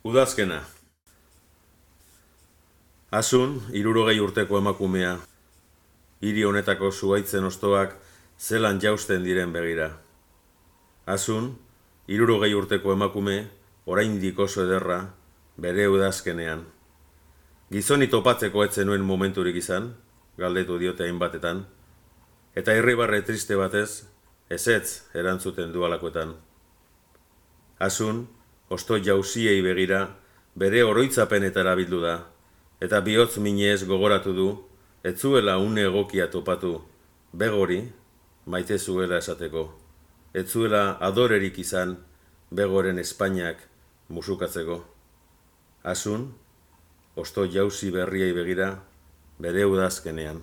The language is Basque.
Udazkena. Asun, 60 urteko emakumea, hiri honetako zuhaitzen hostoak zelan jausten diren begira. Asun, 60 urteko emakume, oraindik oso ederra, bere udazkenean. Gizoni topatzeko etzen nuen momenturik izan, galdetu diote hainbatetan, eta irribarre triste batez, ezetz erantzuten dualakoetan. Asun, hosto jauziei begira, bere oroitzapenetara bildu da, eta bihotz minez gogoratu du, ez zuela une egokia topatu, begori, maite zuela esateko, ez zuela adorerik izan, begoren Espainiak musukatzeko. Asun, hosto jauzi berriei begira, bere udazkenean.